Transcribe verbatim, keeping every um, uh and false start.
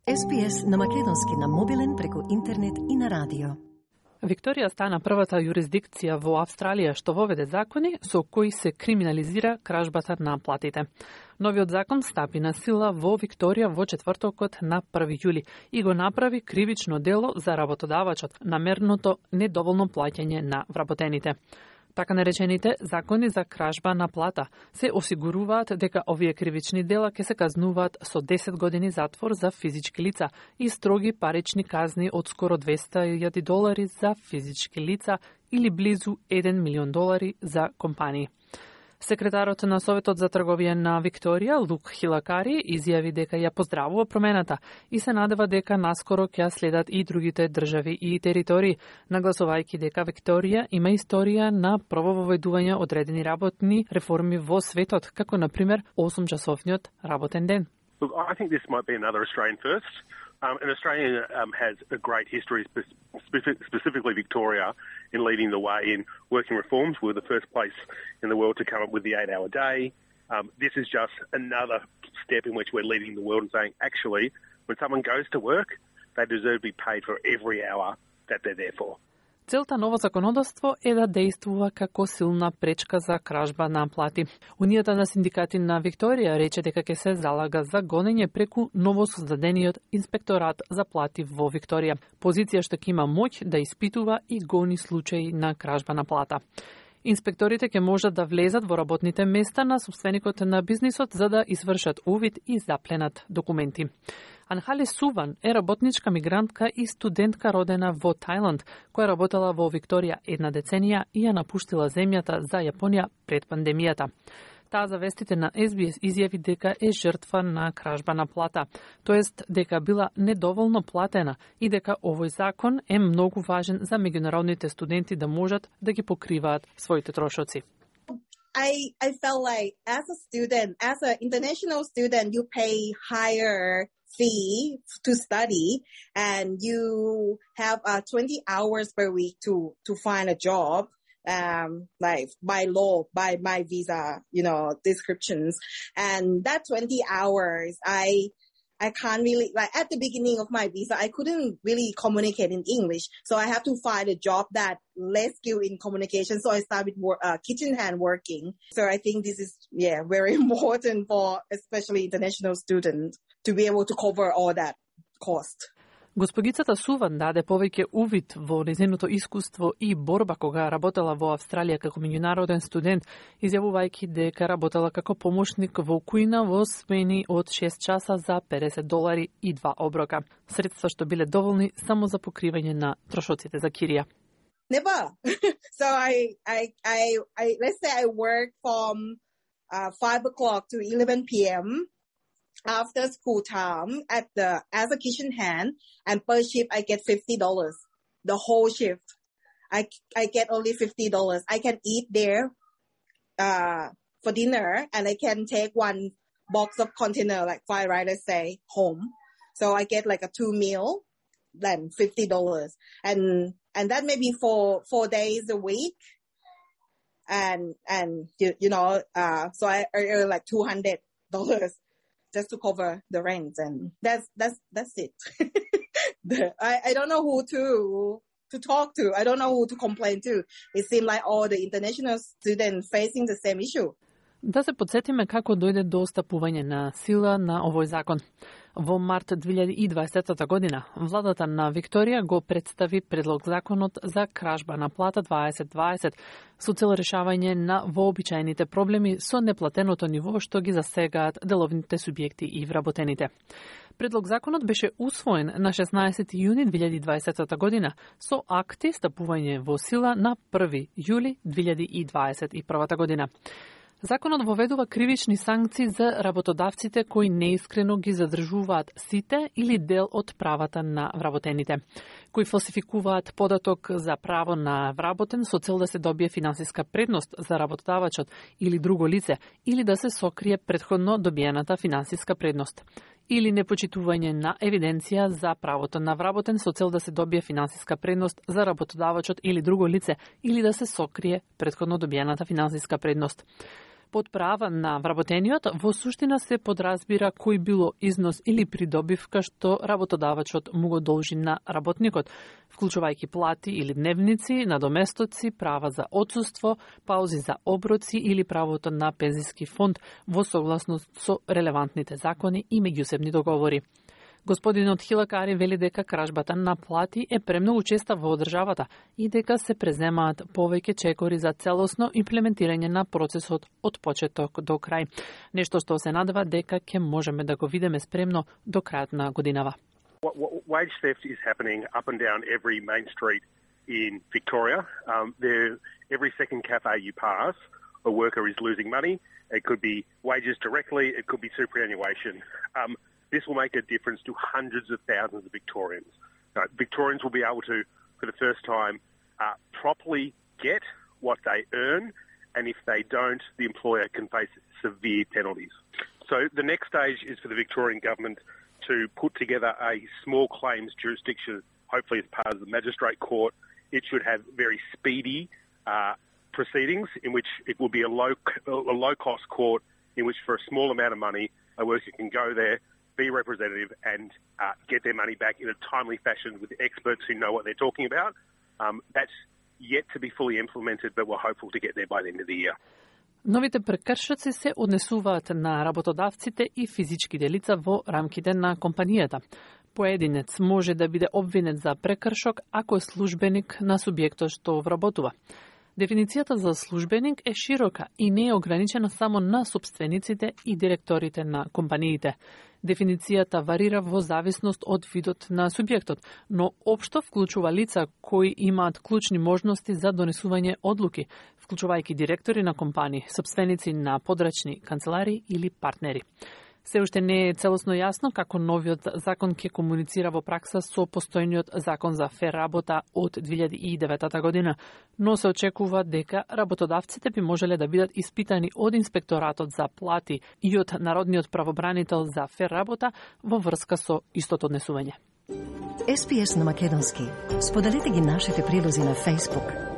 Ес Би Ес на македонски на мобилен преку интернет и на радио. Викторија стана првата јурисдикција во Австралија што воведе закони со кои се криминализира кражбата на платите. Новиот закон стапи на сила во Викторија во четвртокот на први јули и го направи кривично дело за работодавачот намерното недоволно плаќање на вработените. Така наречените закони за кражба на плата се осигуруваат дека овие кривични дела ќе се казнуваат со десет години затвор за физички лица и строги парични казни од скоро двесте илјади долари за физички лица или близу еден милион долари за компании. Секретарот на Советот за трговија на Викторија, Лук Хилакари, изјави дека ја поздравува промената и се надева дека наскоро ќе следат и другите држави и територии, нагласувајќи дека Викторија има историја на прововедување одредени работни реформи во светот, како на пример осумчасовниот работен ден. Look, I think this might be another Australian first. Um, and Australia um, has a great history, specific, specifically Victoria, in leading the way in working reforms. We're the first place in the world to come up with the eight-hour day. Um, this is just another step in which we're leading the world and saying, actually, when someone goes to work, they deserve to be paid for every hour that they're there for. Целта ново законодавство е да действува како силна пречка за кражба на плати. Унијата на синдикати на Викторија рече дека ќе се залага за гонење преку новосоздадениот инспекторат за плати во Викторија. Позиција што ќе има моќ да испитува и гони случаи на кражба на плата. Инспекторите ќе можат да влезат во работните места на собственикот на бизнисот за да извршат увид и запленат документи. Анхали Суван е работничка мигрантка и студентка родена во Тајланд, која работела во Викторија една деценија и ја напуштила земјата за Јапонија пред пандемијата. Таа за вестите на Ес Би Ес изјави дека е жртва на кражба на плата, тоест дека била недоволно платена и дека овој закон е многу важен за меѓународните студенти да можат да ги покриваат своите трошоци. I, I felt like as a student, as an international student, you pay higher fee to study and you have uh, twenty hours per week to, to find a job, um, like by law, by my visa, you know, descriptions. And that twenty hours, I, I can't really, like at the beginning of my visa, I couldn't really communicate in English. So I have to find a job that less skilled in communication. So I started work, uh, kitchen hand working. So I think this is, yeah, very important for especially international students to be able to cover all that cost. Господицата Суван даде повеќе увид во незиното искуство и борба кога работела во Австралија како меѓународен студент, изјавувајќи дека работела како помошник во кујна во смени од шест часа за педесет долари и два оброка. Средства што биле доволни само за покривање на трошоците за кирија. Never. So I, I, I, I, let's say I work from uh, five o'clock to eleven p.m. after school time at the, as a kitchen hand, and per shift I get fifty dollars. The whole shift. I, I get only fifty dollars. I can eat there, uh, for dinner, and I can take one box of container, like fried rice, let's say, home. So I get like a two meal, then fifty dollars. And, and that may be for four days a week. And, and, you, you know, uh, so I earn like two hundred dollars. Just to cover the rent, and that's that's that's it. the, I I don't know who to to talk to. I don't know who to complain to. It seems like all the international students facing the same issue. Да се подсетиме како дојде до стапување на сила на овој закон. Во март две илјади и дваесета година, владата на Викторија го представи предлог законот за кражба на плата дваесет дваесет со цел решавање на вообичаените проблеми со неплатеното ниво што ги засегаат деловните субјекти и вработените. Предлог законот беше усвоен на шеснаесети јуни две илјади и дваесета година со акти стапување во сила на први јули две илјади и дваесет и прва година. Законот воведува кривични санкции за работодавците кои неискрено ги задржуваат сите или дел од правата на вработените, кои фалсификуваат податок за право на вработен со цел да се добие финансиска предност за работодавачот или друго лице, или да се сокрие претходно добиената финансиска предност, или непочитување на евиденција за правото на вработен со цел да се добие финансиска предност за работодавачот или друго лице, или да се сокрие претходно добиената финансиска предност. Под права на вработениот во суштина се подразбира кој било износ или придобивка што работодавачот му го должи на работникот, вклучувајќи плати или дневници, надоместоци, права за отсуство, паузи за оброци или правото на пензиски фонд во согласност со релевантните закони и меѓусебни договори. Господинот Хилакари вели дека кражбата на плати е премногу честа во државата и дека се преземаат повеќе чекори за целосно имплементирање на процесот од почеток до крај. Нешто што се надева дека ќе можеме да го видиме спремно до крајот на годинава. Wage theft is happening up and down every main street in Victoria. Um, there, every second cafe you pass, a worker is losing money. It could be wages directly, it could be superannuation. Um, This will make a difference to hundreds of thousands of Victorians. Uh, Victorians will be able to, for the first time, uh, properly get what they earn, and if they don't, the employer can face severe penalties. So the next stage is for the Victorian government to put together a small claims jurisdiction, hopefully as part of the magistrate court. It should have very speedy uh, proceedings in which it will be a low, a low-cost court in which for a small amount of money, a worker can go there, be representative and uh, get their money back in a timely fashion with experts who know what they're talking about. Um, that's yet to be fully implemented, but we're hopeful to get there by the end of the year. Новите прекршоци се однесуваат на работодавците и физичките лица во рамките на компанијата. Поединец може да биде обвинет за прекршок ако е службеник на субјектот што вработува. Дефиницијата за службеник е широка и не е ограничена само на собствениците и директорите на компаниите. Дефиницијата варира во зависност од видот на субјектот, но општо вклучува лица кои имаат клучни можности за донесување одлуки, вклучувајќи директори на компании, собственици на подрачни канцелари или партнери. Се уште не е целосно јасно како новиот закон ќе комуницира во пракса со постојниот закон за фер работа од две илјади и девета година, но се очекува дека работодавците би можеле да бидат испитани од инспекторатот за плати и од Народниот правобранител за фер работа во врска со истото однесување. Ес Пи Ес на македонски. Споделете ги нашите прилози на Facebook.